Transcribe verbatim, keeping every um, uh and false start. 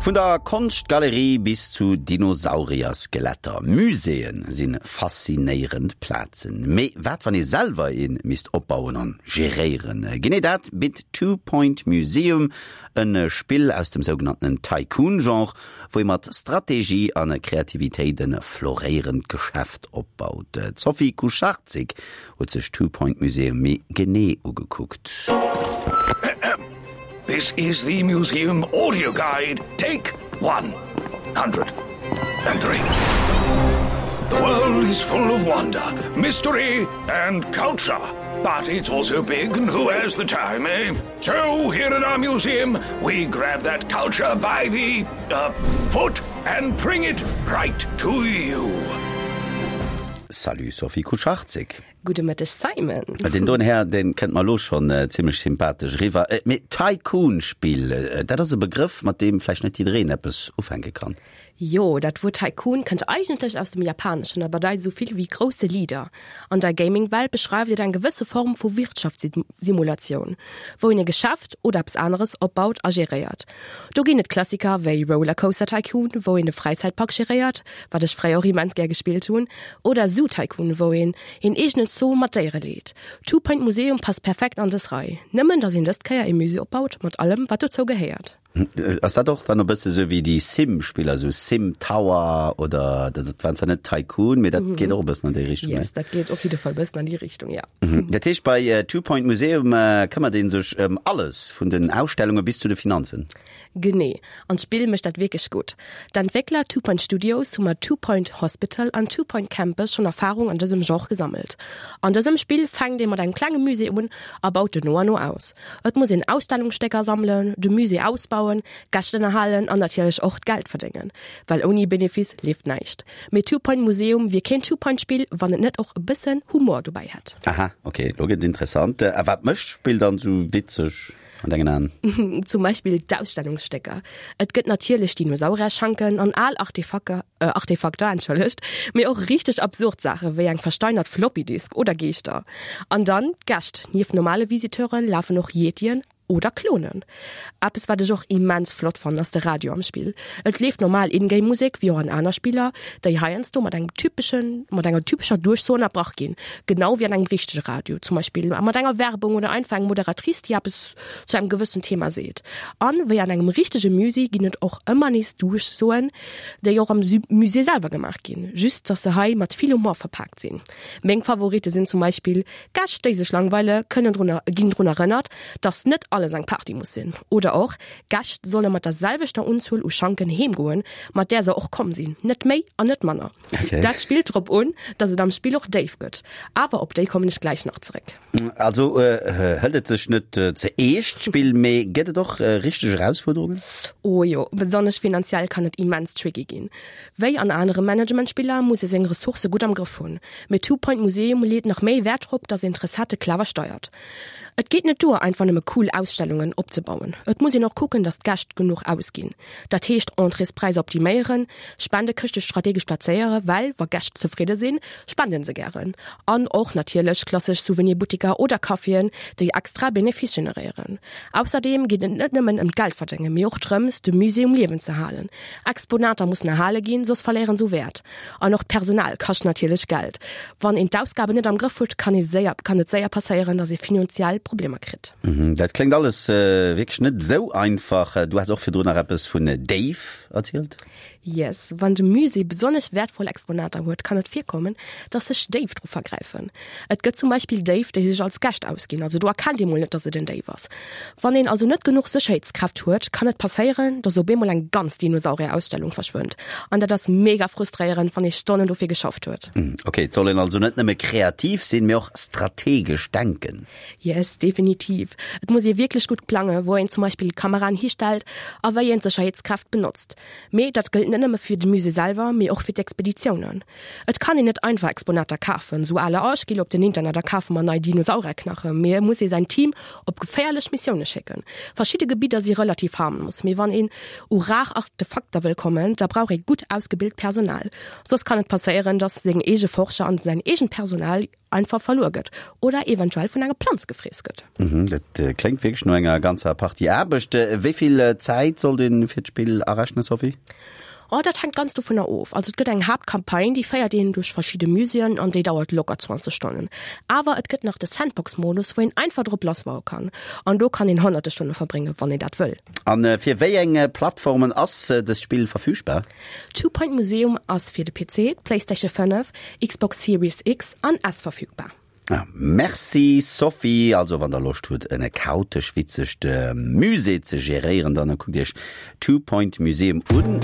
Vun der Konschtgalerie bis zu Dinosaurierskeletter. Muséeën sinn faszinéierend Plazen. Mee wat wann ee selwer ee misst opbauen an geréieren? Genee dat bitt Two Point Museum, e Spill aus dem sougenannten Tycoon-Genre, wou ee mat Strategie an Kreativitéit e floréierend Geschäft opbaut. D'Sophie Kucharczyk huet sech Two Point Museum méi genee ugekuckt. This is the Museum Audio Guide. Take one hundred and three. The world is full of wonder, mystery, and culture. But it's also big, and who has the time, eh? So, here at our museum, we grab that culture by the uh, foot and bring it right to you. Salut Sophie Kucharczyk. Gudde Mëtteg Simon. Den doen Här den kënnt mer lo schonn äh, zimmlech sympathesch riwwer. Äh, mee Tycoon-Spill, äh, dat ass e Begrëff, mat deem vläicht net jiddereen eppes ufänke kann. Jo, dat Wuert Tycoon kënnt eigentlech aus dem Japaneschen a bedeit sou vill wéi grousse Leader. An der Gaming-Welt beschreift et eng gewësse Form vu Wirtschaftssimulatioun, wou een e Geschäft oder eppes aneres opbaut a geréiert. Do ginn et Klassiker wéi Rollercoaster Tycoon, wou een e Fräizäitpark geréiert, wat ech fréier och immens gär gespillt hunn, oder Zoo Tycoon, wou een een eegenen Zoo mat Déiere leet. Two Point Museum passt perfekt an dës Rei. Nëmmen, dass een dës Kéier e Musée opbaut mat allem, wat dozou gehéiert. Ass dat och dann e bësse sou wéi déi Sim-Spiller, sou Sim Tower oder dat war zwar net Tycoon, mee dat mhm. geet och e bëssen an déi Richtung. Yes, dat geet op jidde Fall bëssen an déi Richtung, ja. Mhm. Dat heescht bei äh, Two Point Museum äh, këmmert ee sech ëm alles vun den Ausstellunge bis zu de Finanzen. Genee. An d'Spill mécht dat wierklech gutt. D'Entwéckler Two Point Studios hu mat Two Point Hospital an Two Point Campus schonn Erfarung an dësem Genre gesammelt. An dësem Spill fänkt ee mat engem klenge Musée un a baut en no an no aus. Et muss een Ausstellungsstécker sammelen, de Musée ausbauen, Gäscht ënnerhalen an natierlech och Geld verdéngen. Well ouni Benefice leeft näischt. Mee Two Point Museum wier keen Two Point Spill, wann et net och e bëssen Humor dobäi hätt. Aha, okay, lo gëtt et interessant. A wat mécht d'Spill dann sou witzeg an dengen Aen? Zum Beispill d'Ausstellungsstécker. Et gëtt natierlech Dinosaurierschanken an al Artefakter, äh, Artefakter, entschëllegt, mee och richteg absurd Saache wéi eng versteinert Floppy-Disk oder Geeschter. An dann d'Gäscht. Nieft normale Visiteure lafen och Yetien oder Klonen. Eppes wat ech och immens flott fannen ass de Radio am Spill. Et leeft normal In-Game Musek wéi och an aner Spiller, déi heiansdo mat engem typeschen, mat enger typescher Duerchso ënnerbrach ginn, genau wéi an engem richtege Radio, zum Beispill mat enger Werbung oder einfach eng Moderatrice, déi eppes zu engem gewëssen Thema seet. An wéi an engem richtege Musée ginn et och ëmmer nees Duerchsoen, déi och am Musée selwer gemaach ginn, just dass se hei mat vill Humor verpaakt sinn. Meng Favoritte sinn zum Beispill, Gäscht déi sech langweile kënnen drun, ginn drun erënnert, dass net alles eng Party muss sinn. Oder och, Gäscht solle mat der selwechter Unzuel u Schanken heemgoen, mat där se och komm sinn. Net méi an net manner. Okay. Dat spillt drop un, dass et am Spill och Déif gëtt. Awer op déi kommen ech gläich nach zeréck. Also äh, hëlt et sech net äh, ze eescht d'Spill, mee gëtt et och äh, richteg Erausfuerderungen? Oh jo, besonnesch finanziell kann et immens tricky ginn. Wéi an anere Managementspiller muss ee seng Ressourcë gutt am Grëff hunn. Mee Two Point Museum leet nach méi Wäert drop, dass een d'Recettë clever steiert. Et geet net duer, einfach nëmme cool Ausstellungen opzebauen. Et muss een och kucken, dass d'Gäscht genuch ausginn. Dat heescht Entréespräisser optiméieren, Spendekëschte strategesch plazéieren, well wa Gäscht zefridde sinn, spenden se gären. An och natierlech klassesch Souvenirbuttiker oder Caféen, déi extra Benefice generéieren. Ausserdeem geet et net nëmmen ëm d'Geldverdéngen, mee och drëms, de Musée um Liewen ze halen. Exponater mussen erhale ginn, soss verléieren se u Wäert. An och d'Personal kascht natierlech Geld. Wann een d'Ausgaben net am Grëff huet, kann ee séier, kann et séier passéieren, dass ee finanziell Problemer kritt. Mhm, dat kléngt alles äh, wierklech net sou einfach. Du has och virdrun nach eppes vun Déif erzielt? Yes, wann de Musée besonnesch wäertvoll Exponater huet, kann et virkommen, dass sech Déif dru vergräifen. Et gëtt zum Beispill Déif, déi sech als Gäscht ausginn, also do erkennt ee mol net, dass et en Déif ass. Wann een also net genuch Sécherheetskräft huet, kann et passéieren, dass op eemol eng ganz Dinosaurier-Ausstellung verschwënnt. An dat ass mega frustréierend, wann ee Stonnen dofir geschafft huet. Okay, et soll een also net nëmme kreativ sinn, mee och strategesch denken. Yes, definitiv. Et muss ee wierklech gutt plangen, wou een zum Beispill Kameraen histellt a wéi een d'Sécherheetskräft benotzt. Mee dat gëllt net nëmme fir de Musée selwer, mee och fir d'Expeditiounen. Et kann een net einfach Exponater kafen, sou à la oh, ech ginn op den Internet a kafe mer nei Dinosaurierknachen, mee et muss ee säin Team op geféierlech Missioune schécken. Verschidde Gebidder si relativ harmlos, mee wann een u rar Artefakter wëll kommen, da brauch ee gutt ausgebilt Personal. Soss kann et passéieren, dass seng eege Forscher an säin eegent Personal einfach verluer gëtt oder eventuell vun enger Planz gefriess gëtt. Mhm, dat kléngt wierklech no enger ganzer Partie Aarbecht. Wéi vill Zäit sollt een fir d'Spill arechnen, Sophie? Oh, dat hänkt ganz dovunner of. Also et gëtt eng Haaptcampagne, déi féiert een duerch verschidde Muséeën an déi dauert locker zwanzeg Stonnen. Awer et gëtt nach de Sandbox-Modus, wou een einfach drop lassbaue kann. An do kann een honnerte Stonne verbréngen, wann een dat wëll. An fir wéi eng Plattformen ass dëst Spill verfügbar? Two Point Museum ass fir de P C, d'PlayStation fënnef, Xbox Series X an S verfügbar. Ah, merci Sophie. Also wann der Loscht hutt en chaotesch witzegt Musée ze geréieren, dann kuckt iech Two Point Museum un.